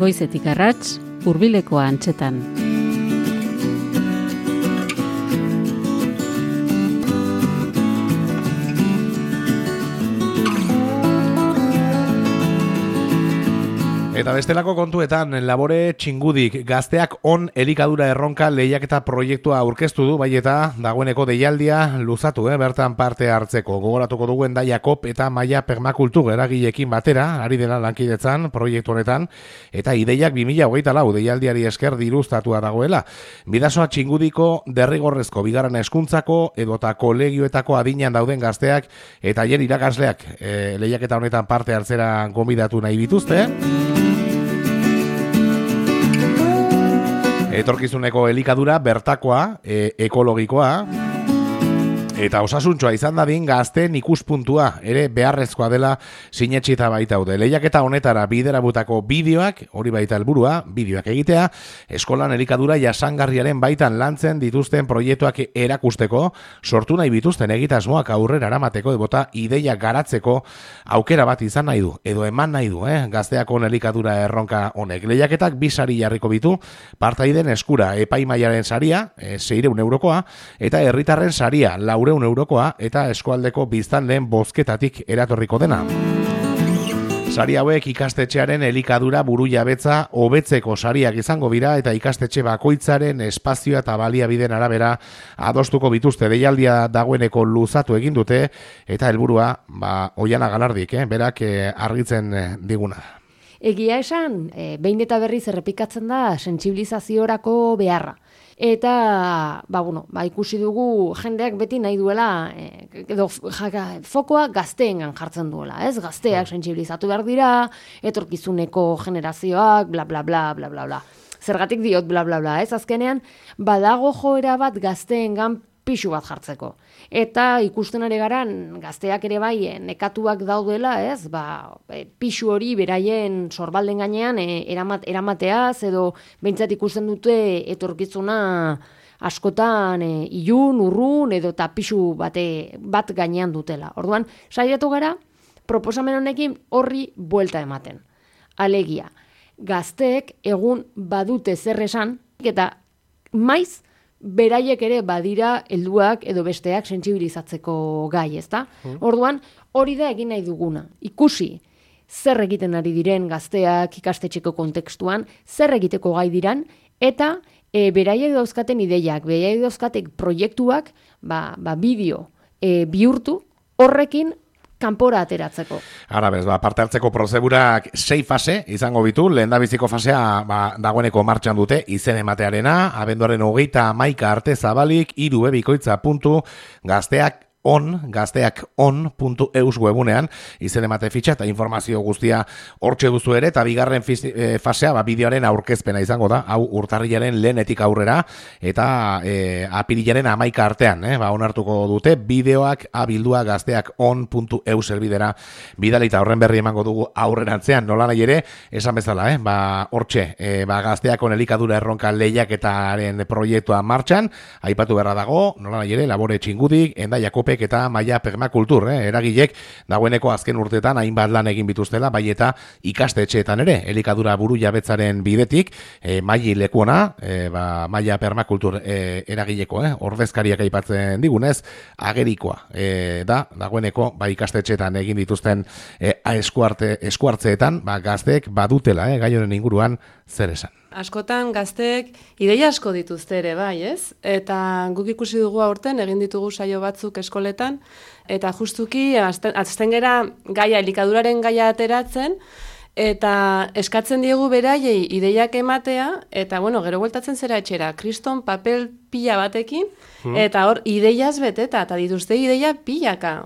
Goizetik arrats, hurbilekoa antzetan. Eta bestelako kontuetan, labore txingudik gazteak on elikadura erronka lehiaketa proiektua aurkeztu du, bai eta dagoeneko deialdia luzatu, bertan parte hartzeko. Gogoratuko dugu Hendaia Kop eta Maia Permakultur eragileekin batera, ari dela lankidetzan proiektu honetan, eta ideiak 2024 deialdiari esker diruztatua dagoela. Bidasoa txingudiko derrigorrezko bigarren hezkuntzako edota kolegioetako adinean dauden gazteak eta haien irakasleak lehiaketa honetan parte hartzera gonbidatu nahi bituzte. Etorkizuneko elikadura bertakoa, ekologikoa eta osasuntxoa izan dadin gazteen ikuspuntua ere beharrezkoa dela sinetxita baitaude. Lehiaketa honetara biderabutako bideoak, hori baita helburua, bideoak egitea, eskolan elikadura jasangarriaren baitan lantzen dituzten proiektuak erakusteko, sortu nahi bituzten egitasmoak aurrera eramateko edota ideia garatzeko aukera bat izan nahi du, edo eman nahi du, gazteakon elikadura erronka honek. Lehiaketak 2 sari jarriko bitu, partaiden eskura epaimaiaren saria, 600 eurokoa, eta herritarren saria, 400 eurokoa, eta eskualdeko biztanleen bozketatik eratorriko dena. Sari hauek ikastetxearen elikadura burujabetza hobetzeko sariak izango dira eta ikastetxe bakoitzaren espazioa eta baliabideen arabera adostuko bituzte. Deialdia dagoeneko luzatu egin dute eta helburua Oiana Galardik, berak argitzen diguna. Egia esan, behin eta berriz errepikatzen da sentsibilizaziorako beharra. Eta, ikusi dugu jendeak beti nahi duela, edo fokoa gazteengan jartzen duela, ez? Gazteak sentsibilizatu behar dira, etorkizuneko generazioak, bla, bla, bla, bla, bla, bla. Zergatik diot, bla, bla, bla, ez? Azkenean, badago joera bat gazteengan pixu bat jartzeko. Eta ikusten ari garan, gazteak ere bai nekatuak daudela, ez? Pixu hori beraien sorbalden gainean eramateaz, edo behintzat ikusten dute etorkizuna askotan ilun, urrun, edo eta pixu bat gainean dutela. Orduan, saiatu gara, proposamen honekin horri buelta ematen. Alegia, gazteek egun badute zer esan, eta maiz, beraiek ere badira helduak edo besteak sentsibilizatzeko gai, ezta? Orduan, hori da egin nahi duguna. Ikusi zer egiten ari diren gazteak ikastetxeko kontekstuan, zer egiteko gai diran, eta beraiek dauzkaten ideiak, beraiek dauzkatek proiektuak, bideo bihurtu horrekin kanpora ateratzeko. Ara bez, parte hartzeko prozedurak 6 fase izango bitu, lehendabiziko fasea dagoeneko martxan dute izen ematearena, abenduaren 31 arte zabalik, gazteakon.eus webunean izen emate fitxa eta informazio guztia hortxe duzu ere, eta bigarren fasea bideoaren aurkezpena izango da, hau urtarrilaren lehenetik aurrera, eta apirilaren 11 artean, onartuko dute, bideoak abildua gazteakon.eus elbidera bidalita horren berri emango dugu aurrerantzean, nola nahi ere, esan bezala, hortxe, gazteakon elikadura erronka lehiaketaren proiektua martxan, aipatu beharra dago, nola nahi ere, labore txingudik, Hendaia Kop eta Maia Permakultur, eragilek dagoeneko azken urteetan hainbat lan egin bituztela, bai eta ikastetxeetan ere, elikadura burujabetzaren bidetik, maili lekuona, Maia Permakultur eragileko, ordezkariak aipatzen digunez, agerikoa dagoeneko ikastetxeetan egin dituzten eskuartzeetan, gazteek badutela, gai honen inguruan zer esan. Askotan gazteek ideia asko dituzte ere, bai, ez? Eta guk ikusi dugu aurten, egin ditugu saio batzuk eskoletan, eta justuki, azten gera gaia, elikaduraren gaia ateratzen, eta eskatzen diegu beraiei ideiak ematea, eta gero bueltatzen zera etxera, kriston papel pila batekin, eta hor ideiaz beteta, eta dituzte ideia pilaka.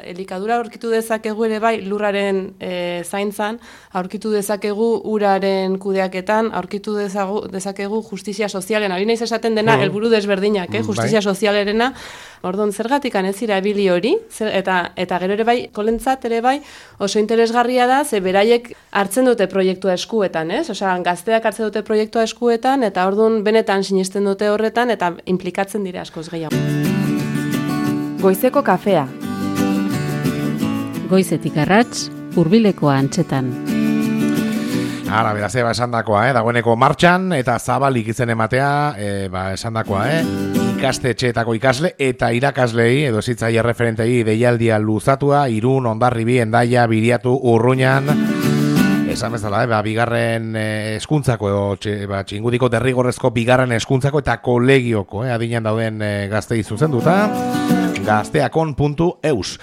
Elikadura aurkitu dezakegu ere bai lurraren zaintzan, aurkitu dezakegu uraren kudeaketan, aurkitu dezakegu justizia sozialen. Ari naiz esaten dena helburu desberdinak, justizia sozialerena. Orduan, zergatik ez dira ebili hori, eta gero ere bai, kolentzat ere bai, oso interesgarria da, ze beraiek hartzen dute proiektua eskuetan, ez? Osea, gazteak hartzen dute proiektua eskuetan, eta orduan benetan sinisten dute horretan, eta implikatzen dira askoz gehiago. Goizeko kafea. Goizetik arrats, hurbilekoa antzetan. Ara, beraz, esandakoa, dagoeneko martxan, eta zabalik izen ematea, esandakoa, ikastetxeetako ikasle eta irakaslei, edo zitzaile referentei deialdia luzatua, Irun, Hondarribi, Hendaia, Biriatu, Urruñan, esan bezala, bigarren eskuntzako, txingudiko derrigorrezko bigarren eskuntzako eta kolegioko, adinean dauden gaztei zuzenduta, gazteakon.eus.